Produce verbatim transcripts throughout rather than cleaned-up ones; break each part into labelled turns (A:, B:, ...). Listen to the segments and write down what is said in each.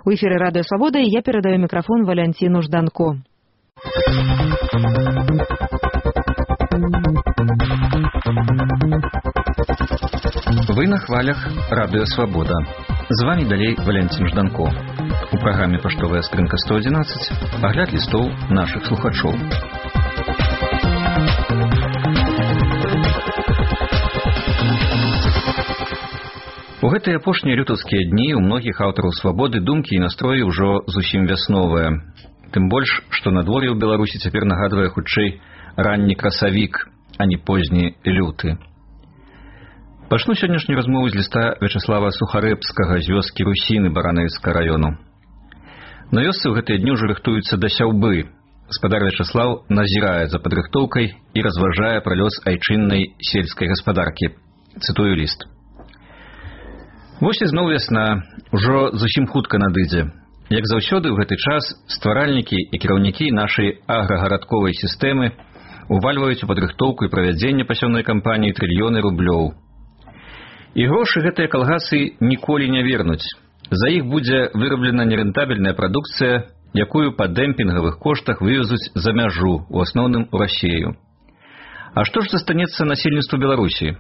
A: У эфире «Радио Свобода» и я передаю микрофон Валентину Жданко.
B: Вы на хвалях «Радио Свобода». З вами далей Валентин Жданко. У праграме «Паштовая скрынка сто одиннадцать» агляд лістоў нашых слухачоў. У гэтыя апошнія лютаўскія дні ў многіх аўтараў свабоды думкі і настроі ўжо зусім вясновыя. Тым больш, што надвор'е ў Беларусі цяпер нагадвае хутчэй ранні красавік, а не позні люты. Пачну сённяшнюю размову з ліста Вячаслава Сухарэбскага з вёскі Русіны Баранавіцкага раёну. На вёсцы ў гэтыя дні ўжо рыхтуюцца да сяўбы. Гаспадар Вячаслаў назірае за падрыхтоўкай і разважае пра лёс айчыннай сельскай гаспадаркі. Цытую ліст. Вось і зноў вясна, ужо зусім хутка надыдзе. Як заўсёды ў гэты час стваральнікі і кіраўнікі нашай аграгарадковай сістэмы увальваюць у падрыхтоўку і правядзенне пасёўнай кампаніі трыльёны рублёў. І грошы гэтыя калгасы ніколі не вернуць. За іх будзе выраблена нерэнтабельная прадукцыя, якую па дэмпінгавых коштах вывезуць за мяжу, у асноўным у Расею. А што ж застанецца насельніцтву Беларусі?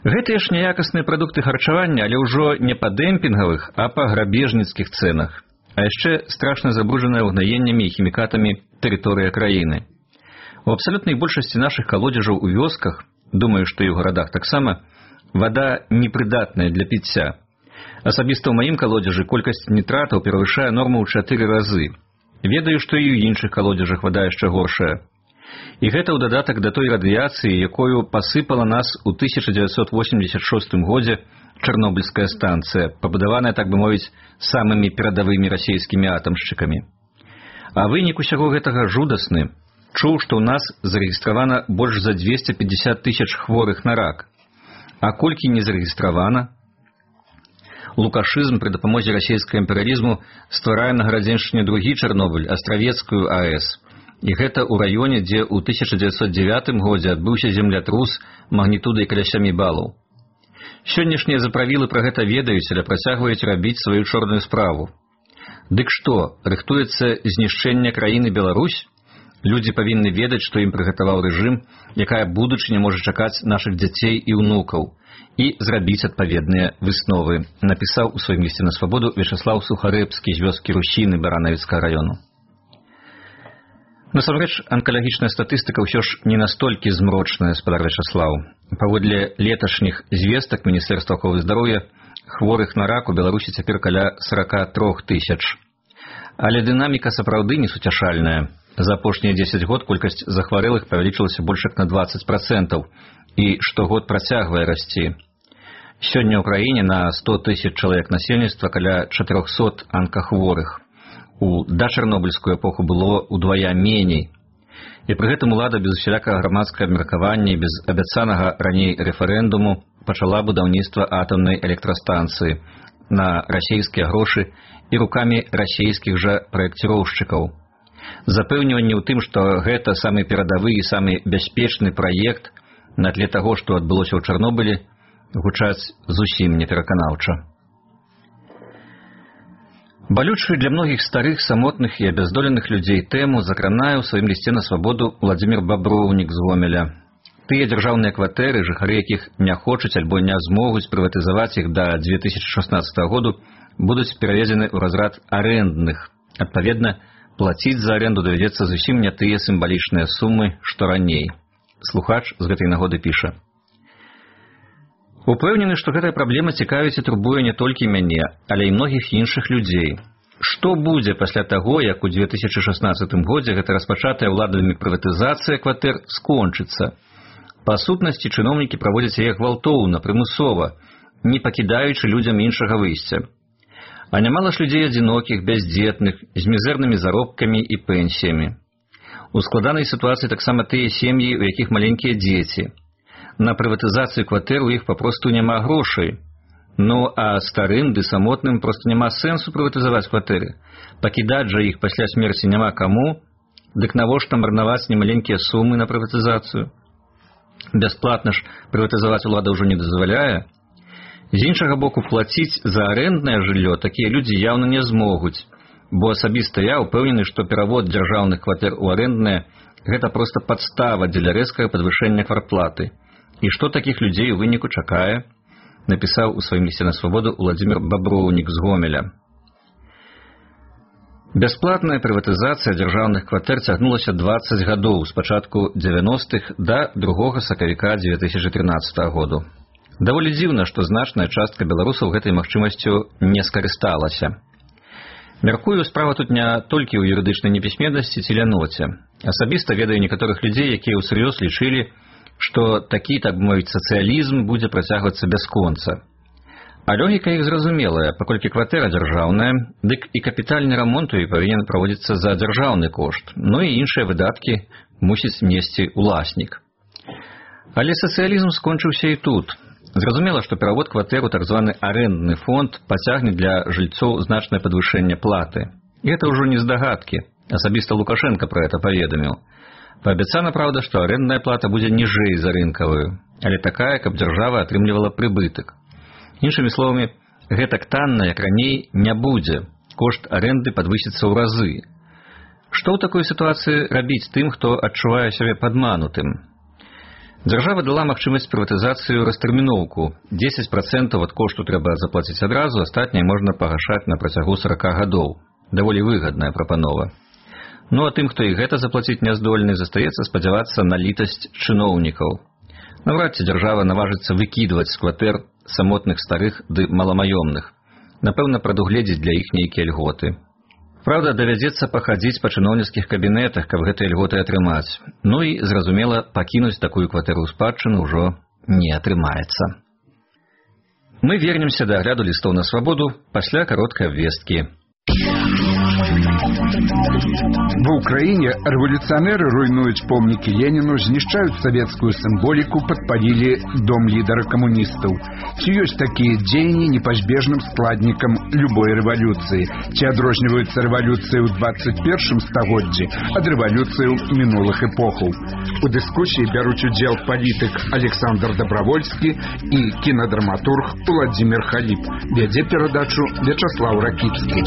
B: Гэтыя ж няякасныя прадукты харчавання, але ўжо не па дэмпінгавых, а па грабежніцкіх цэнах. А яшчэ страшна забруджаная ўгнаеннямі і хімікатамі тэрыторыя краіны. У абсалютнай большасці нашых калодзежаў у вёсках, думаю, што і ў гарадах таксама, вада непрыдатная для піцця. Асабіста ў маім калодзежы колькасць нітратаў перавышае норму ў чатыры разы. Ведаю, што і ў іншых калодзежах вада яшчэ горшая. І гэта ў дадатак да той радыяцыі, якою пасыпала нас у тысяча дзевяцьсот восемьдесят шостым годзе Чарнобыльская станцыя, пабудаваная, так бы мовіць, самымі перадавымі расейскімі атамшчыкамі. А вынік усяго гэтага жудасны. Чуў, што ў нас зарэгістравана больш за дзвесце пятьдесят тысяч хворых на рак. А колькі не зарэгістравана? Лукашызм пры дапамозе расейскага імперыялізму стварае на Гарадзеншчыне другі Чарнобыль, Астравецкую АЭС. І гэта ў раёне, дзе ў тысяча дзевяцьсот дзевятым годзе адбыўся землятрус магнітудай каля сямі балаў. Сённяшнія заправілы пра гэта ведаюць, але працягваюць рабіць сваю чорную справу. Дык што, рыхтуецца знішчэнне краіны Беларусь? Людзі павінны ведаць, што ім прыгатаваў рэжым, якая будучыня можа чакаць нашых дзяцей і ўнукаў, і зрабіць адпаведныя высновы, напісаў у сваім лісце на свабоду Вячаслаў Сухарэбскі з вёскі Русіны Баранавіцкага раёну. Насамрэч, анкалагічная статыстыка ўсё ж не настолькі змрочная, спадар Вячаслаў. Паводле леташніх звестак Міністэрства аховы здароўя, хворых на рак у Беларусі цяпер каля сорок три тысяч. Але дынаміка сапраўды несуцяшальная. За апошнія дзесяць год колькасць захварэлых павялічылася больш як на двадцать процентаў, і штогод працягвае расці. Сёння ў краіне на сто тысяч чалавек насельніцтва каля чатырохсот анкахворых. У дачарнобыльскую эпоху было ўдвая меней. І пры гэтым улада без усялякага грамадскага абмеркавання і без абяцанага раней рэферэндуму пачала будаўніцтва атамнай электрастанцыі на расейскія грошы і рукамі расейскіх жа праекціроўшчыкаў. Запэўніванне ў тым, што гэта самы перадавы і самы бяспечны праект на тле таго, што адбылося ў Чарнобылі, гучаць зусім непераканаўча. Балючую для многіх старых, самотных і абяздоленых людзей тэму закранае ў сваім лісце на свабоду Владзімір Баброўнік з Гомеля. Тыя дзяржаўныя кватэры, жыхары якіх не хочуць альбо не змогуць прыватызаваць іх да две тысячи шаснаццатага году, будуць пераведзены ў разрад арэндных. Адпаведна, плаціць за аренду давядзецца зусім не тыя сімвалічныя сумы, што раней. Слухач з гэтай нагоды піша. Упэўнены, што гэтая праблема цікавіць і турбуе не толькі мяне, але і многіх іншых людзей. Што будзе пасля таго, як у две тысячи шаснаццатым годзе гэта распачатая ўладамі прыватызацыя кватэр скончыцца? Па сутнасці чыноўнікі праводзяць яе гвалтоўна, прымусова, не пакідаючы людзям іншага выйсця. А нямала ж людзей адзінокіх, бяздзетных, з мізэрнымі заробкамі і пенсіямі. У складанай сітуацыі таксама тыя сем'і, у якіх маленькія дзеці. На прыватызацыю кватэр у іх папросту няма грошай. Ну, а старым ды самотным проста няма сэнсу прыватызаваць кватэры. Пакідаць жа іх пасля смерці няма каму, дык навошта марнаваць немаленькія сумы на прыватызацыю? Бясплатна ж прыватызаваць улада ўжо не дазваляе. З іншага боку, плаціць за арэнднае жыллё такія людзі яўна не змогуць, бо асабіста я ўпэўнены, што перавод дзяржаўных кватэр у арэнднае – гэта проста падстава дзеля рэзкага падвышэння квартплаты. І што такіх людзей у выніку чакае, напісаў у сваім лісце на свабоду Уладзімір Баброўнік з Гомеля. Бясплатная прыватызацыя дзяржаўных кватэр цягнулася дваццаць гадоў, з пачатку дзевяностых да другога сакавіка дзве тысячы трынаццатага году. Даволі дзіўна, што значная частка беларусаў гэтай магчымасцю не скарысталася. Мяркую, справа тут не толькі ў юрыдычнай непісьменнасці ці ляноце. Асабіста ведаю некаторых людзей, якія ўсур'ёз лічылі, што такі, так бы мовіць, сацыялізм будзе працягвацца бясконца. А логіка іх зразумелая, паколькі кватэра дзяржаўная, дык і капітальны рамонт у ёй павінен праводзіцца за дзяржаўны кошт, ну і іншыя выдаткі мусіць несці ўласнік. Але сацыялізм скончыўся і тут. Зразумела, што перавод кватэр у так званы арэндны фонд пацягне для жыльцоў значнае падвышэнне платы. І гэта ўжо не здагадкі. Асабіста Лукашенка пра гэта паведаміў. Паабяцана, праўда, што арэндная плата будзе ніжэй за рынкавую, але такая, каб дзяржава атрымлівала прыбытак. Іншымі словамі, гэтак танна, як раней, не будзе. Кошт арэнды падвысіцца ў разы. Што ў такой сітуацыі рабіць тым, хто адчувае сябе падманутым? Дзяржава дала магчымасць прыватызацыю растэрміноўку. дзесяць працэнтаў ад кошту трэба заплаціць адразу, астатняе можна пагашаць на працягу сарака гадоў. Даволі выгадная прапанова. Ну а тым, хто і гэта заплаціць не здольны, застаецца спадзявацца на літасць чыноўнікаў. Наўрад ці дзяржава наважыцца выкідваць з кватэр самотных старых ды маламаёмных. Напэўна, прадугледзіць для іх нейкія льготы. Праўда, давядзецца пахадзіць па чыноўніцкіх кабінетах, каб гэтыя льготы атрымаць. Ну і, зразумела, пакінуць такую кватэру ў спадчыну ўжо не атрымаецца. Мы вернемся да агляду лістоў на свабоду пасля кароткай абвесткі.
C: В Украине революционеры руйнуют помники Ленину, знищают советскую символику, подпалили дом лидера коммунистов. Ці есть такие дзеянні непозбежным складником любой революции. Ці адрозніваюцца революции в двадцать первом стагоддзі ад революции минулых эпохаў. У дискуссии берут удел политик Александр Добровольский и кинодраматург Владимир Халип. Вядзе перадачу Вячеслав Ракицкий.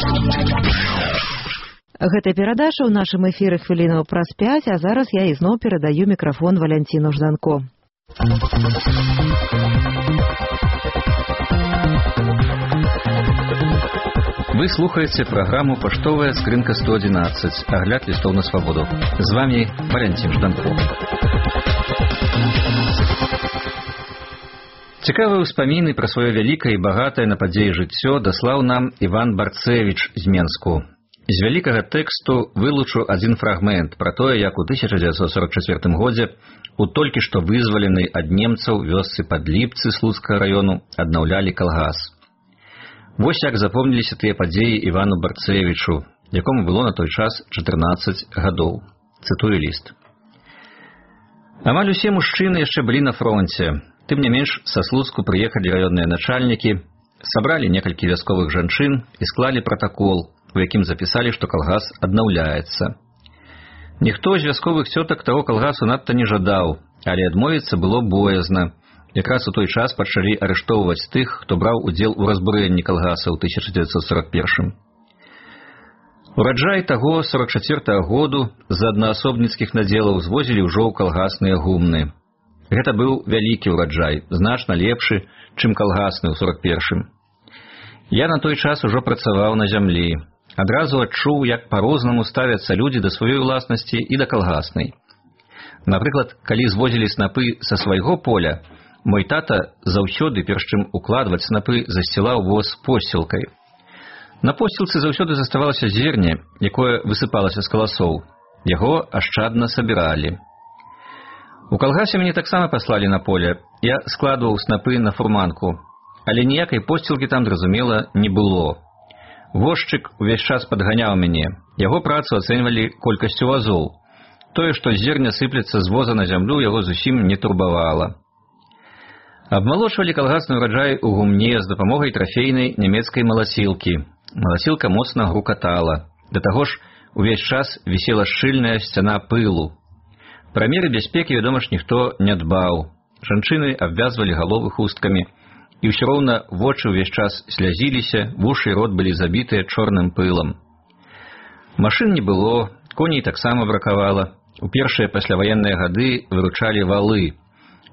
A: Гэта перадача ў нашым эфіры хвілінаў праз пяць, а зараз я ізноў перадаю мікрафон Валянціну Жданко.
B: Вы слухаеце праграму «Паштовая скрынка сто одиннадцать», агляд лістоў на свабоду. З вами Валянцін Жданко. Цікавыя ўспаміны пра сваё вялікае і багатае на падзеі жыццё даслаў нам Іван Барцевіч з Менску. З вялікага тэксту вылучу адзін фрагмент пра тое, як у тысяча дзевяцьсот сорок чацвёртым годзе у толькі што вызваленай ад немцаў вёсцы Падліпцы Слуцкага раёну аднаўлялі калгас. Вось як запомніліся тыя падзеі Івану Барцевічу, якому было на той час чатырнаццаць гадоў. Цытую ліст. Амаль усе мужчыны яшчэ былі на фронце. Тым не менш, са Слуцку прыехалі раённыя начальнікі, сабралі некалькі вясковых жанчын і склалі пратакол, у якім запісалі, што калгас аднаўляецца. Ніхто з вясковых цётак таго калгасу надта не жадаў, але адмовіцца было боязна. Якраз у той час пачалі арыштоўваць тых, хто браў удзел у разбурэнні калгаса ў тысяча дзевяцьсот сорок первым. Ураджай таго сорок чацвёртага году з аднаасобніцкіх надзелаў звозілі ўжо ў калгасныя гумны. Гэта быў вялікі ўраджай, значна лепшы, чым калгасны ў сорок первым. Я на той час ужо працаваў на зямлі. Адразу адчуў, як па-рознаму ставяцца людзі да сваёй уласнасці і да калгаснай. Напрыклад, калі звозілі снапы са свайго поля, мой тата заўсёды, перш чым укладваць снапы, засцілаў воз посцілкай. На посцілцы заўсёды заставалася зерне, якое высыпалася з каласоў. Яго ашчадна сабіралі. У калгасе мяне таксама паслалі на поле. Я складваў снапы на фурманку, але ніякай посцілкі там, зразумела, не было. Возчык увесь час падганяў мяне. Яго працу ацэньвалі колькасцю вазоў. Тое, што зерня сыплецца з воза на зямлю, яго зусім не турбавала. Абмалочвалі калгасны ўраджай у гумне з дапамогай трафейнай нямецкай маласілкі. Маласілка моцна грукатала. Да таго ж, увесь час вісела шчыльная сцяна пылу. Пра меры бяспекі, вядома ж, ніхто не дбаў. Жанчыны абвязвалі галовы хусткамі, і ўсё роўна вочы ўвесь час слязіліся, вушы і рот былі забітыя чорным пылам. Машын не было, коней таксама бракавала. У першыя пасляваенныя гады выручалі валы.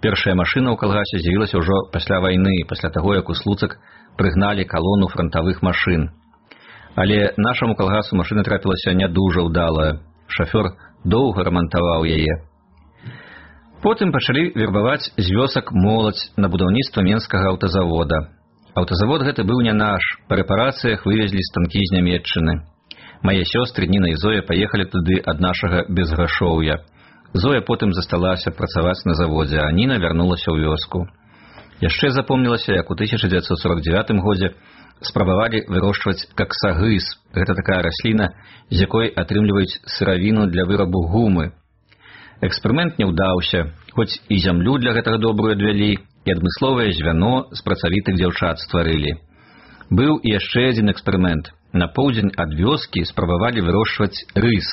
B: Першая машына ў калгасе з'явілася ўжо пасля вайны, пасля таго, як у Слуцак прыгналі калону франтавых машын. Але нашаму калгасу машына трапілася не дужа ўдалая. Шафёр доўга рамантаваў яе. Потым пачалі вербаваць з вёсак моладзь на будаўніцтва менскага аўтазавода. Аўтазавод гэты быў не наш, па рэпарацыях вывезлі станкі з Нямецчыны. Мае сёстры Ніна і Зоя паехалі туды ад нашага безграшоўя. Зоя потым засталася працаваць на заводзе, а Ніна вярнулася ў вёску. Яшчэ запомнілася, як у тысяча дзевяцьсот сорок дзевятым годзе спрабавалі вырошчваць каксагыз. Гэта такая расліна, з якой атрымліваюць сыравіну для вырабу гумы. Эксперымент не ўдаўся, хоць і зямлю для гэтага добрую адвялі, і адмысловае звяно з працавітых дзяўчат стварылі. Быў і яшчэ адзін эксперымент. На поўдзень ад вёскі спрабавалі вырошчваць рыс.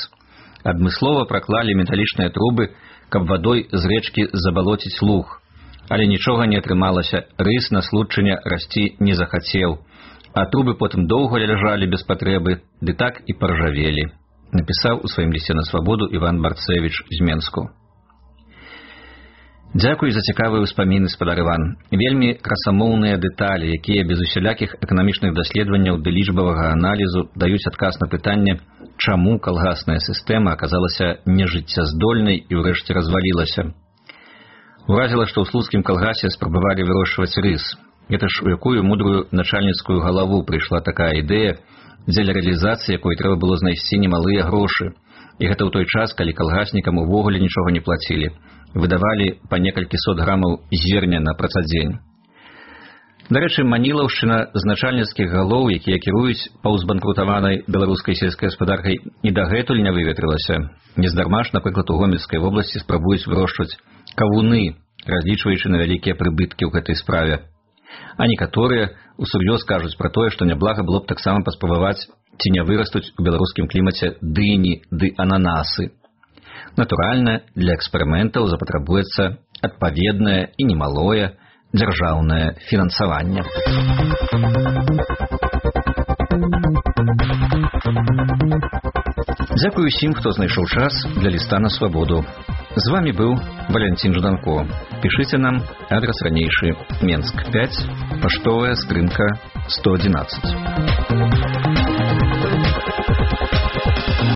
B: Адмыслова праклалі металічныя трубы, каб вадой з рэчкі забалоціць луг. Але нічога не атрымалася, рыс на случчыне расці не захацеў. А трубы потым доўга ляжалі без патрэбы, ды так і паржавелі. Напісаў у сваім лісце на свабоду Іван Барцэвіч з Менску. Дзякуй за цікавыя ўспаміны, спадар Іван. Вельмі красамоўныя дэталі, якія без усялякіх эканамічных даследаванняў ды лічбавага аналізу даюць адказ на пытанне, чаму калгасная сістэма аказалася нежыццяздольнай і ўрэшце развалілася. Уразіла, што ў слуцкім калгасе спрабавалі вырошчваць рыс. Гэта ж у якую мудрую начальніцкую галаву прыйшла такая ідэя, дзеля рэалізацыі якой трэба было знайсці немалыя грошы. І гэта ў той час, калі калгаснікам увогуле нічога не плацілі. Выдавалі па некалькі сот грамаў зерня на працадзень. Дарэчы, манілаўшчына з начальніцкіх галоў, якія кіруюць паўзбанкрутаванай беларускай сельскай гаспадаркай, і дагэтуль не выветрылася. Нездарма ж, напрыклад, у Гомельскай вобласці спрабуюць вырошчваць кавуны, разлічваючы на вялікія прыбыткі ў гэтай справе. А некаторыя усур'ёз кажуць пра тое, што няблага было б таксама паспрабаваць, ці не вырастуць у беларускім клімаце дыні ды ананасы. Натуральна, для эксперыментаў запатрабуецца адпаведнае і немалое дзяржаўнае фінансаванне. Дзякуй усім, хто знайшоў час для ліста на свабоду. З вамі быў Валянцін Жданко. Пішыце нам, адрас ранейшы, Менск пяць, паштовая скрынка сто адзінаццаць.